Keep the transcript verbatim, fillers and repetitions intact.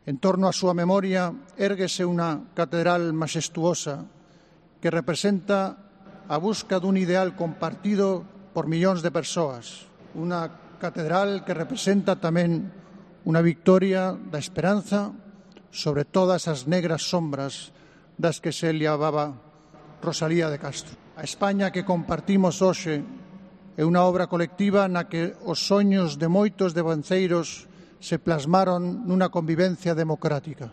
En torno á súa memoria érguese unha catedral maxestuosa que representa a busca dun ideal compartido por millóns de persoas. Unha catedral que representa tamén unha victoria da esperanza sobre todas as negras sombras das que se liababa Rosalía de Castro. A España que compartimos hoxe é unha obra colectiva na que os soños de moitos devanceiros se plasmaron nunha convivencia democrática.